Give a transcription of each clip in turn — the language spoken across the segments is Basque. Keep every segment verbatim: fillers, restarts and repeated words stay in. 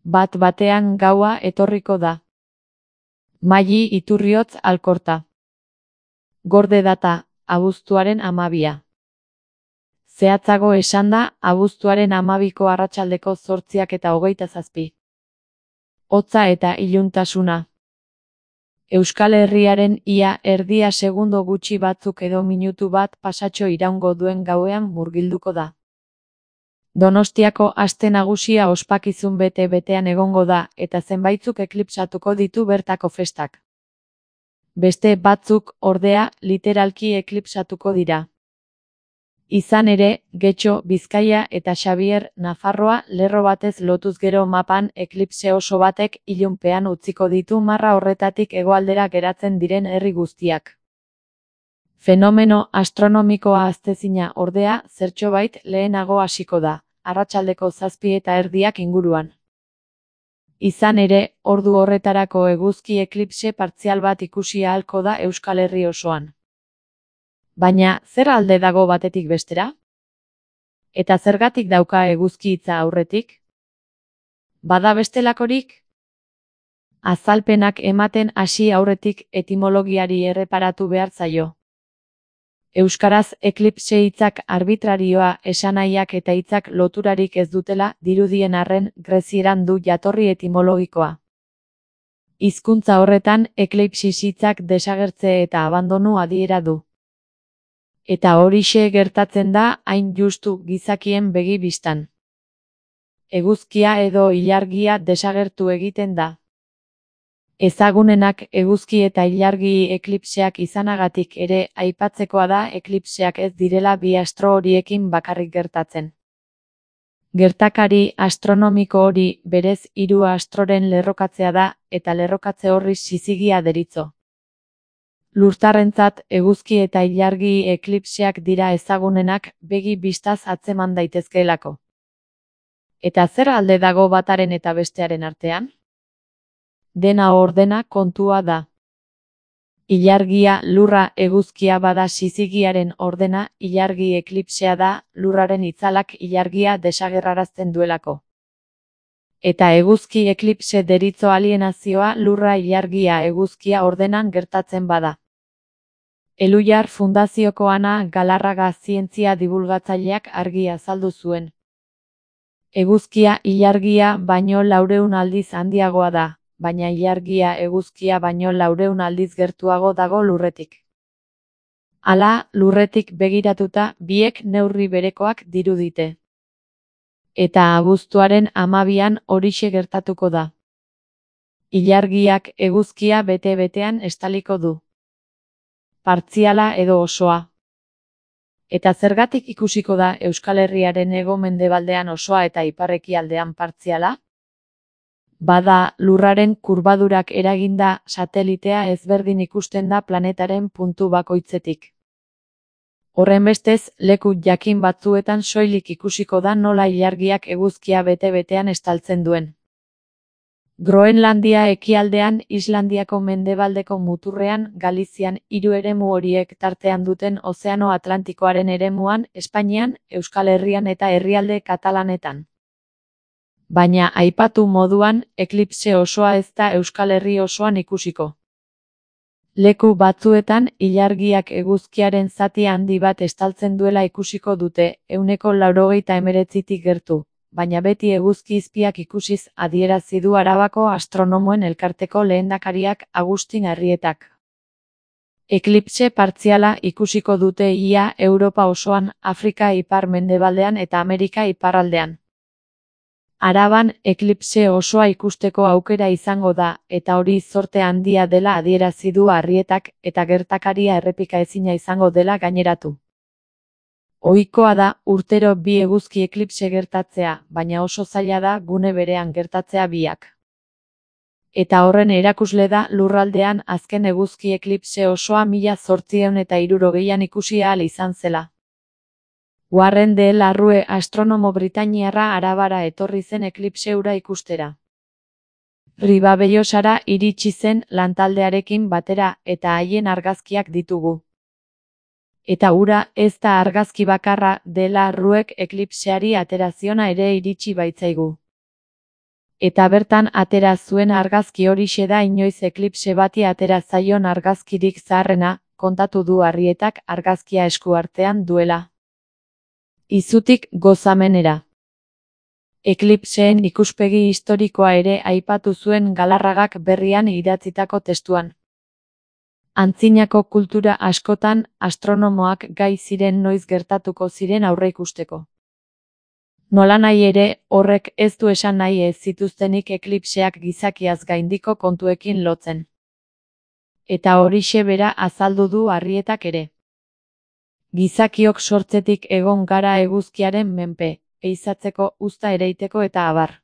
Bat batean gaua etorriko da. Maili Iturriotz Alkorta. Gorde data, abuztuaren hamabia. Zehatzago esanda, abuztuaren hamabiko arratsaldeko zortziak eta hogeita zazpi. Hotza eta iluntasuna. Euskal Herriaren ia erdia segundo gutxi batzuk edo minutu bat pasatxo iraungo duen gauean murgilduko da. Donostiako aste nagusia ospakizun bete-betean egongo da eta zenbaitzuk eklipsatuko ditu bertako festak. Beste batzuk, ordea, literalki eklipsatuko dira. Izan ere, Getxo, Bizkaia eta Xabier, Nafarroa lerro batez lotuz gero mapan eklipse oso batek ilunpean utziko ditu marra horretatik hegoaldera geratzen diren herri guztiak. Fenomeno astronomikoa ahaztezina ordea zertxobait lehenago hasiko da, arratsaldeko zazpi eta erdiak inguruan. Izan ere, ordu horretarako eguzki eklipse partzial bat ikusi ahalko da Euskal Herri osoan. Baina, zer alde dago batetik bestera? Eta zergatik dauka eguzki hitza aurretik? Bada bestelakorik? Azalpenak ematen hasi aurretik etimologiari erreparatu behar zaio. Euskaraz eklipse hitzak arbitrarioa esanahiak eta hitzak loturarik ez dutela dirudien arren grezieran du jatorri etimologikoa. Hizkuntza horretan eklipsis hitzak desagertze eta abandonu adiera du. Eta horixe gertatzen da hain justu gizakien begi bistan. Eguzkia edo ilargia desagertu egiten da. Ezagunenak eguzki eta ilargi eklipseak izanagatik ere aipatzekoa da eklipseak ez direla bi astro horiekin bakarrik gertatzen. Gertakari astronomiko hori berez hiru astroren lerrokatzea da eta lerrokatze horri sizigia deritzo. Lurtarrentzat eguzki eta ilargi eklipseak dira ezagunenak begi bistaz atzeman daitezkeelako. Eta zer alde dago bataren eta bestearen artean? Dena ordena kontua da. Ilargia lurra eguzkia bada sizigiaren ordena, ilargi eklipsea da lurraren itzalak ilargia desagerrarazten duelako. Eta eguzki eklipse deritzo alienazioa lurra ilargia eguzkia ordenan gertatzen bada. Eluyar Fundazioko Ana Galarraga zientzia dibulgatzaileak argi azaldu zuen. Eguzkia ilargia baino laureun aldiz handiagoa da, baina ilargia eguzkia baino laureun aldiz gertuago dago lurretik. Hala, lurretik begiratuta biek neurri berekoak dirudite. Eta abuztuaren hamabian horixe gertatuko da. Ilargiak eguzkia bete-betean estaliko du. Partziala edo osoa. Eta zergatik ikusiko da Euskal Herriaren hego-mendebaldean osoa eta ipar-ekialdean partziala? Bada, lurraren kurbadurak eraginda satelitea ezberdin ikusten da planetaren puntu bakoitzetik. Horrenbestez, leku jakin batzuetan soilik ikusiko da nola ilargiak eguzkia bete-betean estaltzen duen. Groenlandia ekialdean, Islandiako mendebaldeko muturrean, Galizian hiru eremu horiek tartean duten Ozeano Atlantikoaren eremuan, Espainian, Euskal Herrian eta herrialde katalanetan. Baina aipatu moduan, eklipse osoa ez da Euskal Herri osoan ikusiko. Leku batzuetan, ilargiak eguzkiaren zati handi bat estaltzen duela ikusiko dute, ehuneko laurogeita hemeretzitik gertu, baina beti eguzki izpiak ikusiz adierazi du Arabako Astronomoen Elkarteko lehendakariak Agustin Arrietak. Eklipse partziala ikusiko dute ia Europa osoan, Afrika ipar-mendebaldean eta Amerika iparraldean. Araban eklipse osoa ikusteko aukera izango da, eta hori zorte handia dela adierazi du Arrietak, eta gertakaria errepikaezina izango dela gaineratu. Ohikoa da urtero bi eguzki eklipse gertatzea, baina oso zaila da gune berean gertatzea biak. Eta horren erakusle da lurraldean azken eguzki eklipse osoa mila zortziehun eta hirurogeian ikusi ahal izan zela. Warren de la Rue astronomo britainiarra Arabara etorri zen eklipse hura ikustera. Ribabellosara iritsi zen lantaldearekin batera eta haien argazkiak ditugu. Eta hura ez da argazki bakarra de la Ruek eklipseari ateraziona ere iritsi baitzaigu. Eta bertan atera zuen argazki horixe da inoiz eklipse bati atera zaion argazkirik zaharrena, kontatu du Arrietak argazkia esku artean duela. Izutik gozamenera. Eklipseen ikuspegi historikoa ere aipatu zuen Galarragak Berrian idatzitako testuan. Antzinako kultura askotan astronomoak gai ziren noiz gertatuko ziren aurreikusteko. Nolanahi ere, horrek ez du esan nahi ez zituztenik eklipseak gizakiaz gaindiko kontuekin lotzen. Eta horixe bera azaldu du Arrietak ere. Gizakiok sortzetik egon gara eguzkiaren menpe, ehizatzeko, uzta ereiteko eta abar.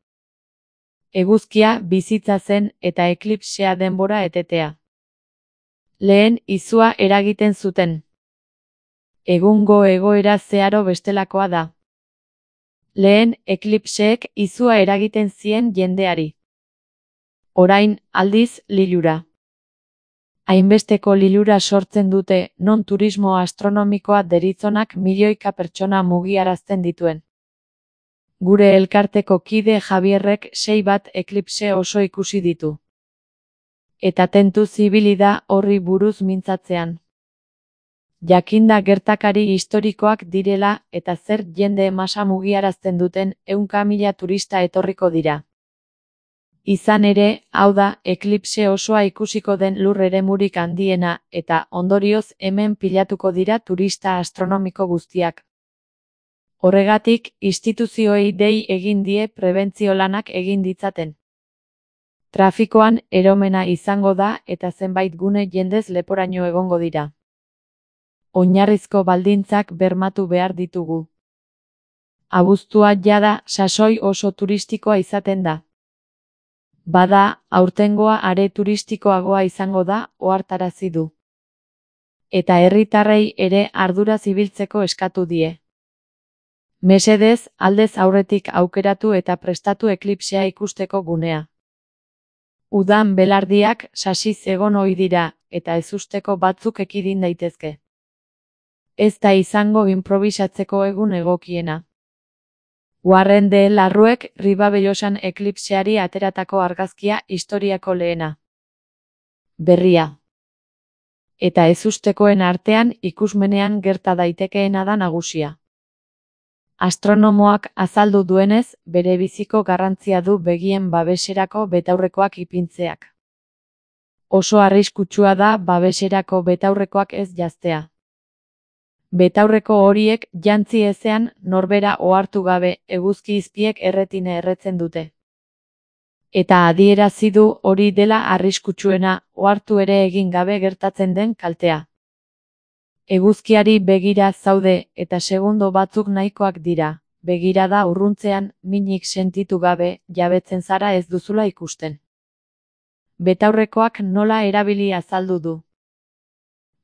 Eguzkia bizitza zen eta eklipsea denbora etetea. Lehen izua eragiten zuten. Egungo egoera zeharo bestelakoa da. Lehen eklipseek izua eragiten zien jendeari. Orain, aldiz, lilura. Hainbesteko lilura sortzen dute, non turismo astronomikoa deritzonak milioika pertsona mugiarazten dituen. Gure elkarteko kide Javierrek sei bat eklipse oso ikusi ditu. Eta tentuz ibili da horri buruz mintzatzean. Jakinda gertakari historikoak direla eta zer jende masa mugiarazten duten ehunka mila turista etorriko dira. Izan ere, hau da, eklipse osoa ikusiko den lur eremurik handiena eta ondorioz hemen pilatuko dira turista astronomiko guztiak. Horregatik, instituzioei dei egin die prebentzio lanak egin ditzaten. Trafikoan eromena izango da eta zenbait gune jendez leporaino egongo dira. Oinarrizko baldintzak bermatu behar ditugu. Abuztua jada sasoi oso turistikoa izaten da. Bada, aurtengoa are turistikoagoa izango da, ohartarazi du. Eta herritarrei ere arduraz ibiltzeko eskatu die. Mesedez, aldez aurretik aukeratu eta prestatu eklipsea ikusteko gunea. Udan belardiak sasiz egon ohi dira, eta ezusteko batzuk ekidin daitezke. Ez da izango improbisatzeko egun egokiena. Warren de Larruek Ribabelosan eklipseari ateratako argazkia historiako lehena. Berria. Eta ezustekoen artean ikusmenean gerta daitekeena da nagusia. Astronomoak azaldu duenez, bere biziko garrantzia du begien babeserako betaurrekoak ipintzeak. Oso arriskutsua da babeserako betaurrekoak ez janztea. Betaurreko horiek jantzi ezean norbera ohartu gabe eguzki izpiek erretine erretzen dute. Eta adierazi du hori dela arriskutsuena, ohartu ere egin gabe gertatzen den kaltea. Eguzkiari begira zaude eta segundo batzuk nahikoak dira, begirada urruntzean minik sentitu gabe jabetzen zara ez duzula ikusten. Betaurrekoak nola erabili azaldu du.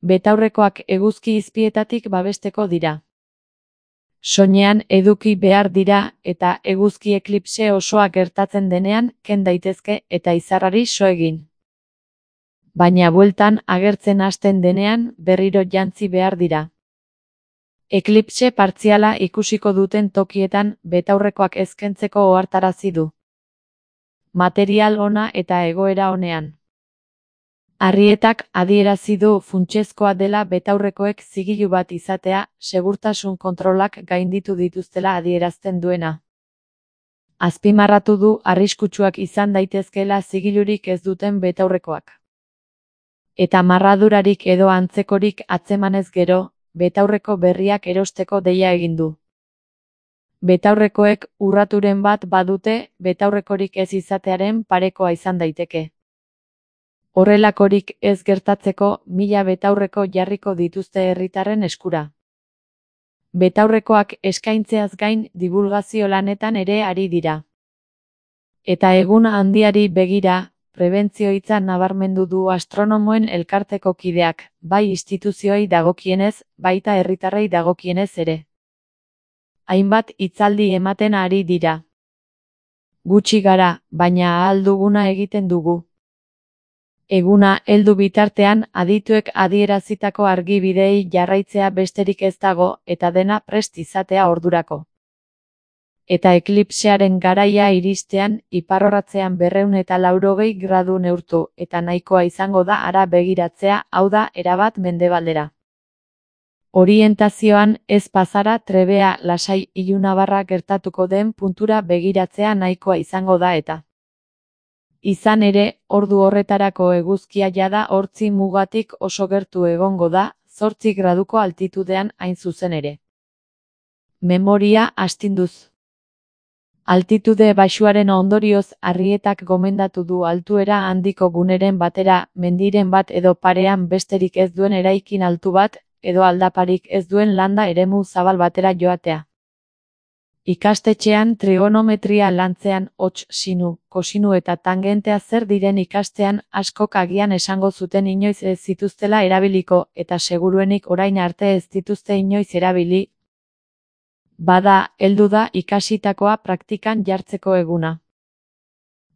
Betaurrekoak eguzki izpietatik babesteko dira. Soinean eduki behar dira eta eguzki eklipse osoa gertatzen denean ken daitezke eta izarrari so egin. Baina bueltan agertzen hasten denean berriro jantzi behar dira. Eklipse partziala ikusiko duten tokietan betaurrekoak ezkentzeko ohartarazi du. Material ona eta egoera onean. Arrietak adierazi du funtsezkoa dela betaurrekoek zigilu bat izatea, segurtasun kontrolak gainditu dituztela adierazten duena. Azpimarratu du arriskutsuak izan daitezkeela zigilurik ez duten betaurrekoak. Eta marradurarik edo antzekorik atzemanez gero, betaurreko berriak erosteko deia egin du. Betaurrekoek urraturen bat badute, betaurrekorik ez izatearen parekoa izan daiteke. Horrelakorik ez gertatzeko mila betaurreko jarriko dituzte herritarren eskura. Betaurrekoak eskaintzeaz gain dibulgazio lanetan ere ari dira. Eta egun handiari begira, prebentzio hitza nabarmendu du astronomoen elkarteko kideak, bai instituzioei dagokienez, baita herritarrei dagokienez ere. Hainbat hitzaldi ematen ari dira. Gutxi gara, baina ahal duguna egiten dugu. Eguna heldu bitartean adituek adierazitako argibideei jarraitzea besterik ez dago eta dena prest izatea ordurako. eta eklipsearen garaia iristean iparrorratzean berrehun eta laurogei gradu neurtu eta nahikoa izango da hara begiratzea, hau da, erabat mendebaldera. Orientazioan ez pasara trebea lasai ilunabarra gertatuko den puntura begiratzea nahikoa izango da eta. Izan ere, ordu horretarako eguzkia jada hortzi mugatik oso gertu egongo da, zortzi graduko altitudean hain zuzen ere. Memoria astinduz. Altitude baxuaren ondorioz Arrietak gomendatu du altuera handiko guneren batera, mendiren bat edo parean besterik ez duen eraikin altu bat, edo aldaparik ez duen landa eremu zabal batera joatea. Ikastetxean trigonometria lantzean hots, sinu, kosinu eta tangentea zer diren ikastean askok agian esango zuten inoiz ez zituztela erabiliko eta seguruenik orain arte ez dituzte inoiz erabili. Bada, heldu da ikasitakoa praktikan jartzeko eguna.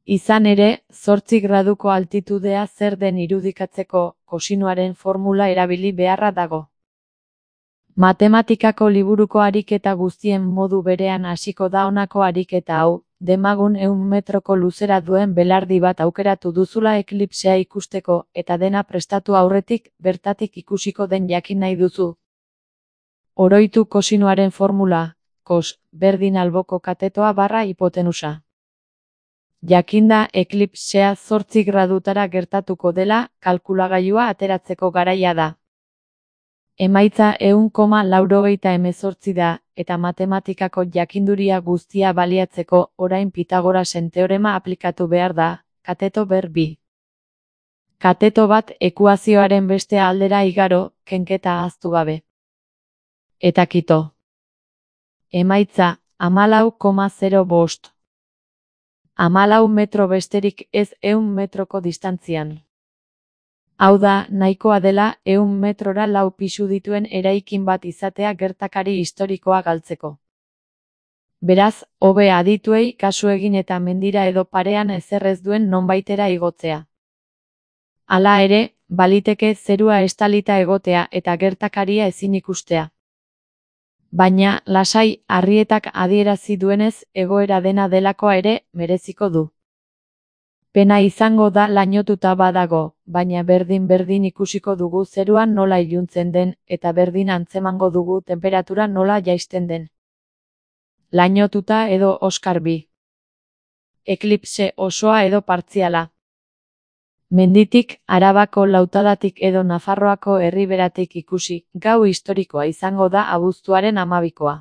Izan ere, zortzi graduko altitudea zer den irudikatzeko kosinuaren formula erabili beharra dago. Matematikako liburuko ariketa guztien modu berean hasiko da honako ariketa hau, demagun ehun metroko luzera duen belardi bat aukeratu duzula eklipsea ikusteko eta dena prestatu aurretik bertatik ikusiko den jakin nahi duzu. Oroitu kosinuaren formula, kos, berdin alboko katetoa barra hipotenusa. Jakinda eklipsea zortzi gradutara gertatuko dela, kalkulagailua ateratzeko garaia da. Emaitza ehun koma laurogeita hemezortzi da, eta matematikako jakinduria guztia baliatzeko orain Pitagorasen teorema aplikatu behar da, kateto ber bi. Kateto bat ekuazioaren beste aldera igaro, kenketa ahaztu gabe. Eta kito. Emaitza, hamalau koma zero bost. Hamalau metro besterik ez ehun metroko distantzian. Hau da, nahikoa dela ehun metrora lau pisu dituen eraikin bat izatea gertakari historikoa galtzeko. Beraz, hobe adituei kasu egin eta mendira edo parean ezer ez duen nonbaitera igotzea. Hala ere, baliteke zerua estalita egotea eta gertakaria ezin ikustea. Baina, lasai, Arrietak adierazi duenez egoera dena delakoa ere mereziko du. Pena izango da lainotuta badago, baina berdin-berdin ikusiko dugu zeruan nola iluntzen den, eta berdin antzemango dugu temperatura nola jaisten den. Lainotuta edo Oskar bi. Eklipse osoa edo partziala. Menditik, Arabako lautadatik edo Nafarroako herriberatik ikusi, gau historikoa izango da abuztuaren hamabikoa.